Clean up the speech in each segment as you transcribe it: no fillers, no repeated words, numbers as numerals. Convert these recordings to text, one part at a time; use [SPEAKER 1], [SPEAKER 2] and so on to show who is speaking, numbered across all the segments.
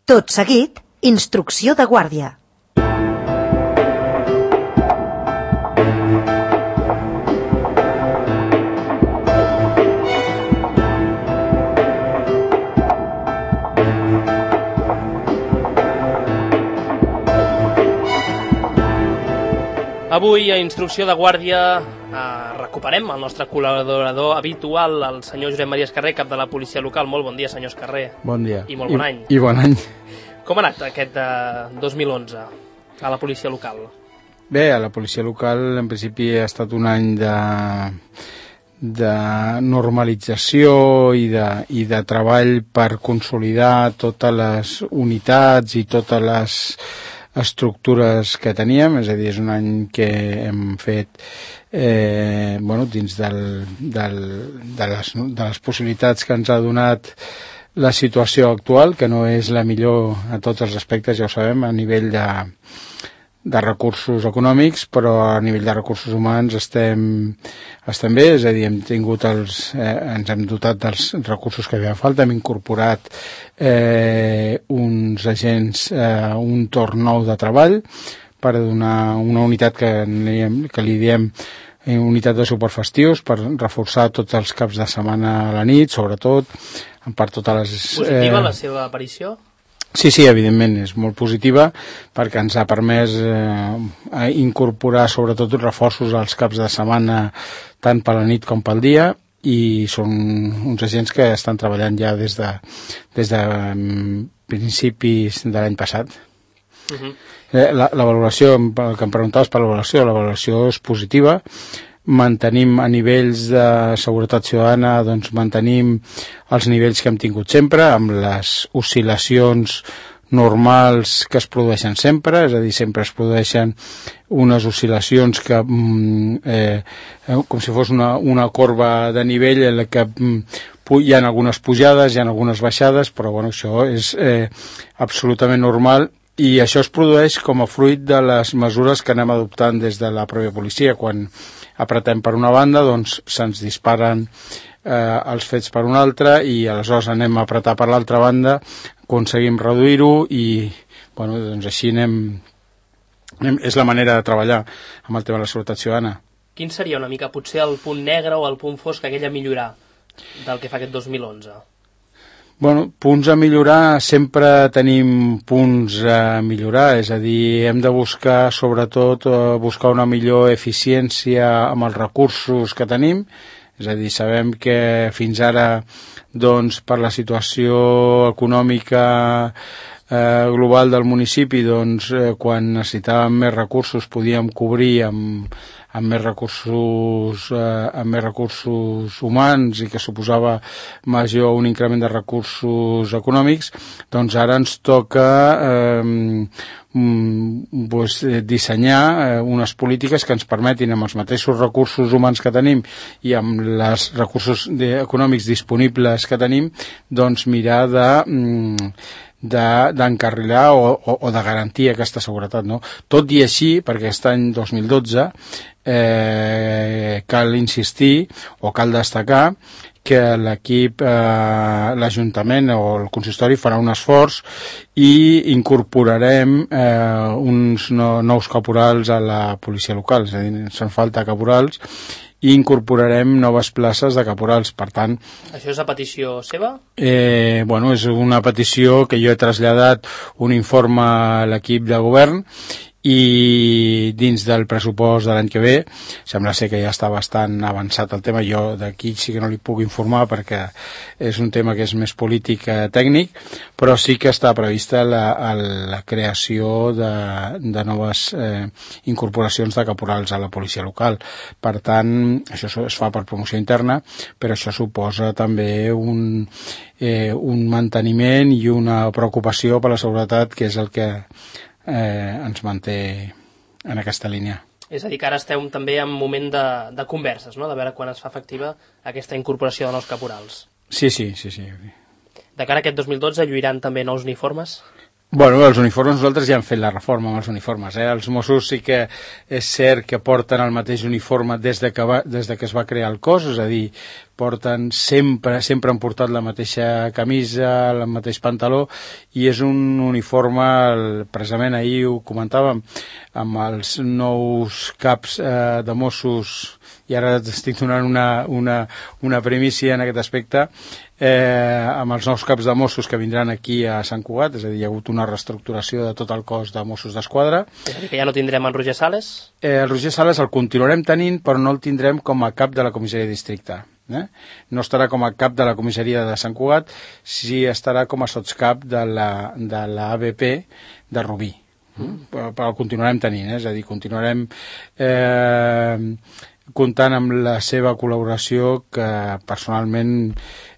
[SPEAKER 1] Tot seguit, instrucció de guàrdia.
[SPEAKER 2] Avui, a Instrucció de Guàrdia, recuperem el nostre col·laborador habitual, el senyor Josep Maria Escarré, cap de la policia local. Molt bon dia, senyor Escarré.
[SPEAKER 3] Bon dia.
[SPEAKER 2] I molt bon any.
[SPEAKER 3] I bon any.
[SPEAKER 2] Com ha anat aquest 2011 a la policia local?
[SPEAKER 3] Bé, a la policia local en principi ha estat un any de normalització i de treball per consolidar totes les unitats i totes les estructures que teníem, és a dir, és un any que hem fet dins de les possibilitats que ens ha donat la situació actual, que no és la millor a tots els aspectes, ja ho sabem, a nivell de recursos econòmics, però a nivell de recursos humans estem bé, és a dir, ens hem dotat dels recursos que havia falta, hem incorporat uns agents, un torn nou de treball per donar una unitat que li diem unitat de superfestius, per reforçar tots els caps de setmana a la nit, sobretot, per totes les...
[SPEAKER 2] Positiva la seva aparició?
[SPEAKER 3] Sí, evidentment, és molt positiva perquè ens ha permès incorporar sobretot reforços als caps de setmana tant per la nit com pel dia, i són uns agents que estan treballant ja des de principis de l'any passat. La valoració, el que em preguntaves per la valoració és positiva. Mantenim a nivells de seguretat ciutadana, doncs mantenim els nivells que hem tingut sempre, amb les oscil·lacions normals que es produeixen sempre, és a dir, sempre es produeixen unes oscil·lacions que com si fos una corba de nivell en la que hi ha algunes pujades, hi ha algunes baixades, però bueno, això és absolutament normal. I això es produeix com a fruit de les mesures que anem adoptant des de la pròpia policia. Quan apretem per una banda, doncs se'ns disparen els fets per una altra, i aleshores anem a apretar per l'altra banda, aconseguim reduir-ho, i bueno, doncs així és la manera de treballar amb el tema de la seguretat ciutadana.
[SPEAKER 2] Quin seria una mica potser el punt negre o el punt fosc aquell a millorar del que fa aquest 2011?
[SPEAKER 3] Bueno, punts a millorar, sempre tenim punts a millorar, és a dir, hem de buscar, sobretot, buscar una millor eficiència amb els recursos que tenim, és a dir, sabem que fins ara, doncs, per la situació econòmica global del municipi, doncs, quan necessitàvem més recursos podíem cobrir amb més recursos humans, i que suposava un increment de recursos econòmics. Doncs ara ens toca dissenyar unes polítiques que ens permetin, amb els mateixos recursos humans que tenim i amb els recursos econòmics disponibles que tenim, doncs mirar d'encarrilar o de garantir aquesta seguretat, no? Tot i així, perquè aquest any 2012 cal insistir o cal destacar que l'equip, l'Ajuntament o el consistori farà un esforç i incorporarem uns nous caporals a la policia local, és a dir, ens fan falta caporals, i incorporarem noves places de caporals. Per tant...
[SPEAKER 2] Això és a petició seva?
[SPEAKER 3] Bueno, és una petició que jo he traslladat un informe a l'equip de govern, i dins del pressupost de l'any que ve sembla ser que ja està bastant avançat el tema. Jo d'aquí sí que no li puc informar perquè és un tema que és més polític que tècnic, però sí que està prevista la creació de noves incorporacions de caporals a la policia local. Per tant, això es fa per promoció interna, però això suposa també un manteniment i una preocupació per la seguretat, que és el que ens manté en aquesta línia.
[SPEAKER 2] És a dir, que ara esteu també en moment de converses, no? De veure quan es fa efectiva aquesta incorporació de nous caporals.
[SPEAKER 3] Sí.
[SPEAKER 2] De cara a aquest 2012 lluiran també nous uniformes?
[SPEAKER 3] Bueno, els uniformes, nosaltres ja hem fet la reforma amb els uniformes. Els Mossos sí que és cert que porten el mateix uniforme des de que es va crear el cos, és a dir, sempre han portat la mateixa camisa, el mateix pantaló, i és un uniforme, precisament ahir ho comentàvem, amb els nous caps de Mossos, i ara estic donant una primícia en aquest aspecte, amb els nous caps de Mossos que vindran aquí a Sant Cugat, és a dir, hi ha hagut una reestructuració de tot el cos de Mossos d'Esquadra.
[SPEAKER 2] És a dir, que ja no tindrem en Roger Sales?
[SPEAKER 3] El Roger Sales el continuarem tenint, però no el tindrem com a cap de la comissaria de districte. No estarà com a cap de la comissaria de Sant Cugat, sí estarà com a sotscap de l'ABP de Rubí. Però el continuarem tenint, és a dir, continuarem comptant amb la seva col·laboració, que personalment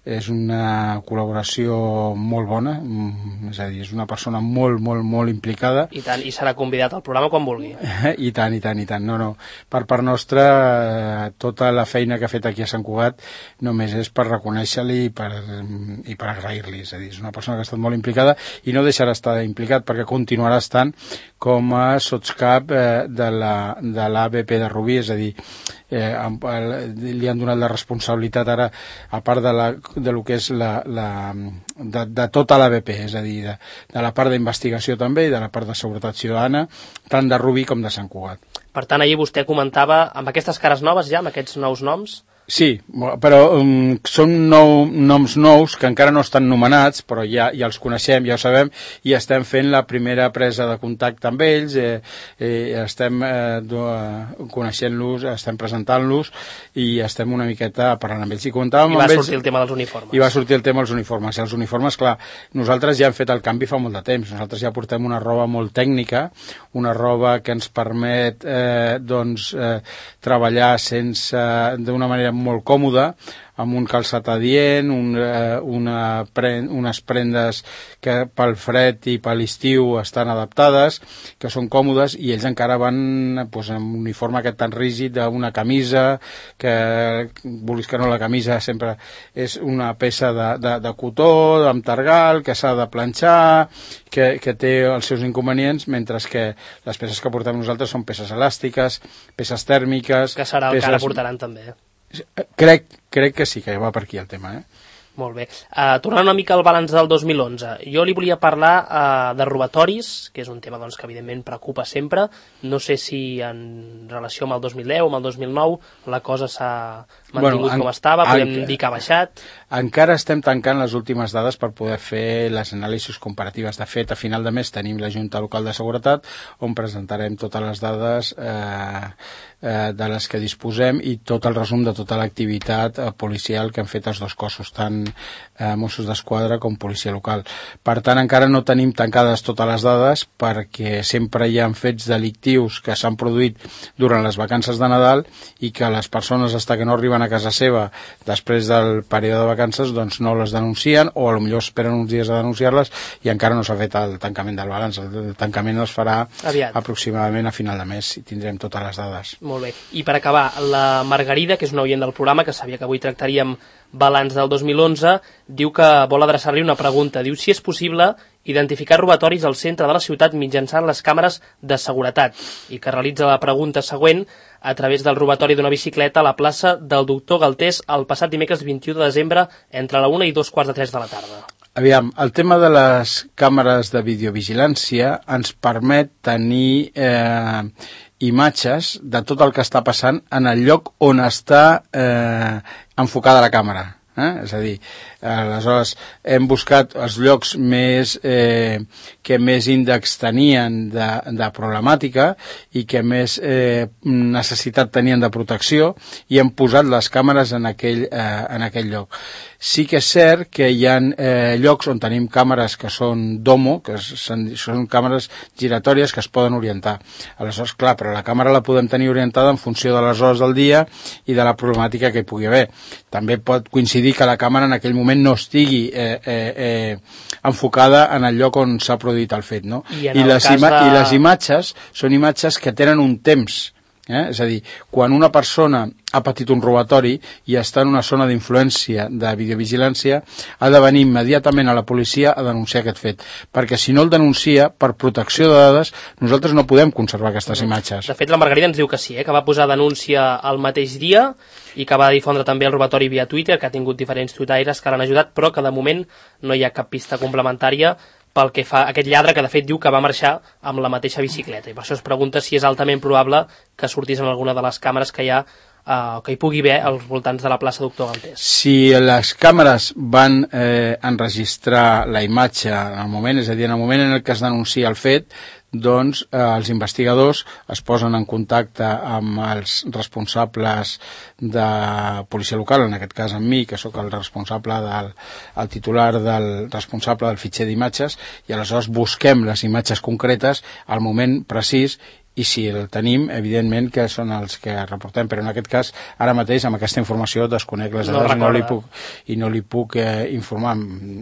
[SPEAKER 3] és una col·laboració molt bona, és a dir, és una persona molt, molt, molt implicada.
[SPEAKER 2] I tant, i serà convidat al programa quan vulgui.
[SPEAKER 3] I tant. No. Per part nostra, tota la feina que ha fet aquí a Sant Cugat només és per reconèixer-li i per agrair-li. És a dir, és una persona que ha estat molt implicada i no deixarà estar implicat perquè continuarà estant com a sotscap de l'ABP de Rubí, és a dir, li han donat la responsabilitat ara, a part de lo que és de tota l'ABP, és a dir, de la part d'investigació també i de la part de seguretat ciutadana, tant de Rubí com de Sant Cugat.
[SPEAKER 2] Per tant, ahir vostè comentava, amb aquestes cares noves ja, amb aquests nous noms?
[SPEAKER 3] Sí, però són noms nous que encara no estan nomenats, però ja els coneixem, ja ho sabem, i estem fent la primera presa de contacte amb ells, estem coneixent-los, estem presentant-los i estem una miqueta parlant amb ells.
[SPEAKER 2] I va sortir el tema dels uniformes.
[SPEAKER 3] I va sortir el tema dels uniformes. I els uniformes, clar, nosaltres ja hem fet el canvi fa molt de temps. Nosaltres ja portem una roba molt tècnica, una roba que ens permet treballar d'una manera molt còmoda, amb un calçat adient, unes prendes que pel fred i per l'estiu estan adaptades, que són còmodes, i ells encara van amb un uniforme aquest tan rígid d'una camisa, que vulguis que no, la camisa sempre és una peça de cotó, amb targal, que s'ha de planxar, que té els seus inconvenients, mentre que les peces que portem nosaltres són peces elàstiques, peces tèrmiques...
[SPEAKER 2] Que serà el que ara portaran també.
[SPEAKER 3] Crec que sí, que va per aquí el tema,
[SPEAKER 2] Molt bé. Tornant una mica al balanç del 2011, jo li volia parlar de robatoris, que és un tema que evidentment preocupa sempre. No sé si en relació amb el 2010 o amb el 2009 la cosa s'ha mantingut com estava, podem dir que ha baixat.
[SPEAKER 3] Encara estem tancant les últimes dades per poder fer les anàlisis comparatives. De fet, a final de mes tenim la Junta Local de Seguretat, on presentarem totes les dades de les que disposem i tot el resum de tota l'activitat policial que han fet els dos cossos, tant Mossos d'Esquadra com policia local. Per tant, encara no tenim tancades totes les dades, perquè sempre hi ha fets delictius que s'han produït durant les vacances de Nadal i que les persones, fins que no arriben a casa seva després del període de vacances, doncs no les denuncien, o potser esperen uns dies a denunciar-les, i encara no s'ha fet el tancament del balanç. El tancament es farà aproximadament a final de mes i tindrem totes les dades.
[SPEAKER 2] Molt bé. I per acabar, la Margarida, que és una oient del programa, que sabia que avui tractaríem balanç del 2011, diu que vol adreçar-li una pregunta. Diu si és possible identificar robatoris al centre de la ciutat mitjançant les càmeres de seguretat, i que realitza la pregunta següent a través del robatori d'una bicicleta a la plaça del Doctor Galtés el passat dimecres 21 de desembre entre la 1 i 2:45 de la tarda.
[SPEAKER 3] Aviam, el tema de les càmeres de videovigilància ens permet tenir imatges de tot el que està passant en el lloc on està enfocada la càmera. És a dir, aleshores hem buscat els llocs que més índex tenien de problemàtica i que més necessitat tenien de protecció, i hem posat les càmeres en aquell lloc. Sí que és cert que hi ha llocs on tenim càmeres que són domo, que són càmeres giratòries que es poden orientar. Aleshores, clar, però la càmera la podem tenir orientada en funció de les hores del dia i de la problemàtica que hi pugui haver. També pot coincidir que la càmera en aquell moment no estigui enfocada en el lloc on s'ha produït el fet, no? I les imatges són imatges que tenen un temps És a dir, quan una persona ha patit un robatori i està en una zona d'influència de videovigilància, ha de venir immediatament a la policia a denunciar aquest fet, perquè si no el denuncia, per protecció de dades, nosaltres no podem conservar aquestes imatges.
[SPEAKER 2] De fet, la Margarida ens diu que sí, que va posar denúncia el mateix dia i que va difondre també el robatori via Twitter, que ha tingut diferents tuitaires que l'han ajudat, però que de moment no hi ha cap pista complementària pel que fa a aquest lladre, que de fet diu que va marxar amb la mateixa bicicleta, i per això es pregunta si és altament probable que sortís en alguna de les càmeres que hi ha que hi pugui haver als voltants de la plaça Doctor Galtés.
[SPEAKER 3] Si les càmeres van enregistrar la imatge en el moment, és a dir, en el moment en el que es denuncia el fet, doncs els investigadors es posen en contacte amb els responsables de policia local, en aquest cas amb mi, que sóc el responsable el titular del responsable del fitxer d'imatges, i aleshores busquem les imatges concretes al moment precís, i si el tenim, evidentment que són els que reportem, però en aquest cas, ara mateix, amb aquesta informació, desconec les dades i no li puc informar.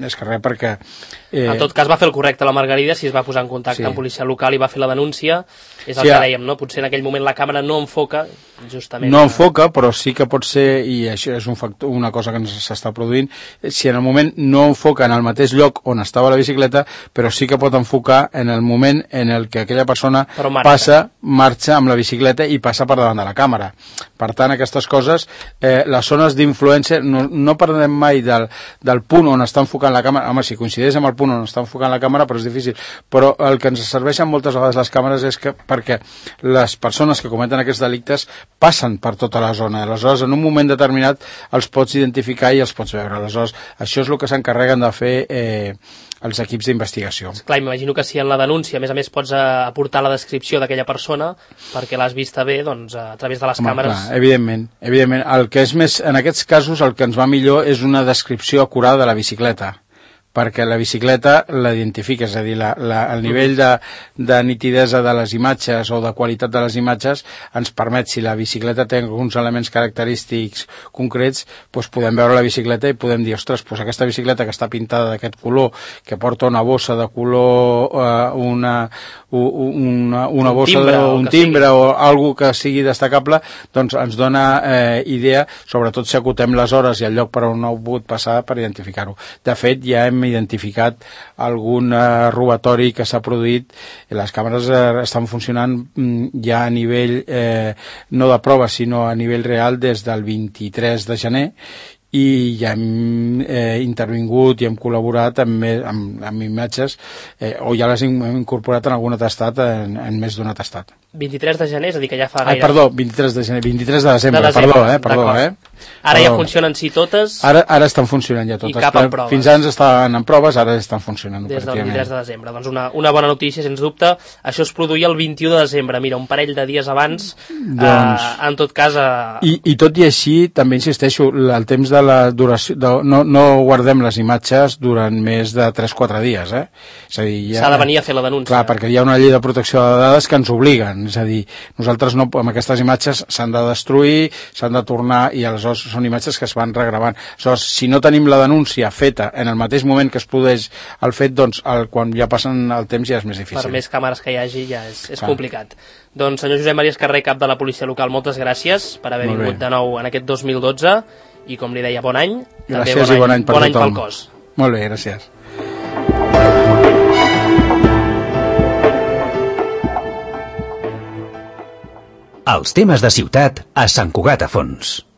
[SPEAKER 3] És que res, perquè...
[SPEAKER 2] En tot cas, va fer el correcte la Margarida, si es va posar en contacte amb policia local i va fer la denúncia, és el que dèiem, no? Potser en aquell moment la càmera no enfoca, justament...
[SPEAKER 3] No enfoca, però sí que pot ser, i això és una cosa que ens s'està produint, si en el moment no enfoca en el mateix lloc on estava la bicicleta, però sí que pot enfocar en el moment en el que aquella persona marxa amb la bicicleta i passa per davant de la càmera. Per tant, aquestes coses, les zones d'influència, no parlem mai del punt on està enfocant la càmera. Home, si coincideix amb el punt on està enfocant la càmera, però és difícil. Però el que ens serveixen moltes vegades les càmeres és que perquè les persones que cometen aquests delictes passen per tota la zona. Aleshores, en un moment determinat els pots identificar i els pots veure. Aleshores, això és el que s'encarreguen de fer els equips d'investigació.
[SPEAKER 2] Clar, m'imagino que si en la denúncia, a més pots aportar la descripció d'aquella persona perquè l'has vista bé, doncs, a través de les càmeres...
[SPEAKER 3] Clar, evidentment. El que és més, en aquests casos, el que ens va millor és una descripció acurada de la bicicleta, perquè la bicicleta l'identifica, és a dir, el nivell de nitidesa de les imatges o de qualitat de les imatges ens permet, si la bicicleta té alguns elements característics concrets, doncs podem veure la bicicleta i podem dir, ostres, doncs aquesta bicicleta que està pintada d'aquest color, que porta una bossa de color, una bossa d'un timbre o alguna que sigui destacable, doncs ens dona idea, sobretot si acotem les hores i el lloc per on no ha pogut passar, per identificar-ho. De fet, ja hem identificat algun robatori que s'ha produït i les càmeres estan funcionant ja a nivell no de prova sinó a nivell real des del 23 de gener i ja hem intervingut i hem col·laborat amb imatges o ja les hem incorporat en algun atestat, en més d'un atestat.
[SPEAKER 2] 23 de gener, és a dir que ja fa gaire...
[SPEAKER 3] Perdó, 23 de gener, 23 de desembre, perdó.
[SPEAKER 2] Ara ja funcionen sí totes?
[SPEAKER 3] Ara estan funcionant ja totes.
[SPEAKER 2] I cap en proves?
[SPEAKER 3] Fins ara estaven en proves, ara estan funcionant.
[SPEAKER 2] Des del 23 de desembre. Doncs una bona notícia, sens dubte. Això es produïa el 21 de desembre, mira, un parell de dies abans, en tot cas...
[SPEAKER 3] I tot i així, també insisteixo, el temps de la duració... No guardem les imatges durant més de 3-4 dies, És a dir,
[SPEAKER 2] s'ha de venir a fer la denúncia.
[SPEAKER 3] Clar, perquè hi ha una llei de protecció de dades que ens obliguen, és a dir, nosaltres no, amb aquestes imatges s'han de destruir, s'han de tornar i aleshores són imatges que es van regravant. Aleshores, si no tenim la denúncia feta en el mateix moment que es produeix el fet, doncs quan ja passen el temps ja és més difícil.
[SPEAKER 2] Per més càmeres que hi hagi ja és complicat. Doncs senyor Josep Maria Escarré, cap de la policia local, moltes gràcies per haver vingut de nou en aquest 2012 i com li deia, bon any.
[SPEAKER 3] Gràcies i bon any per tothom.
[SPEAKER 2] Pel cos.
[SPEAKER 3] Molt bé, gràcies.
[SPEAKER 4] Els temes de ciutat a Sant Cugat a Fons.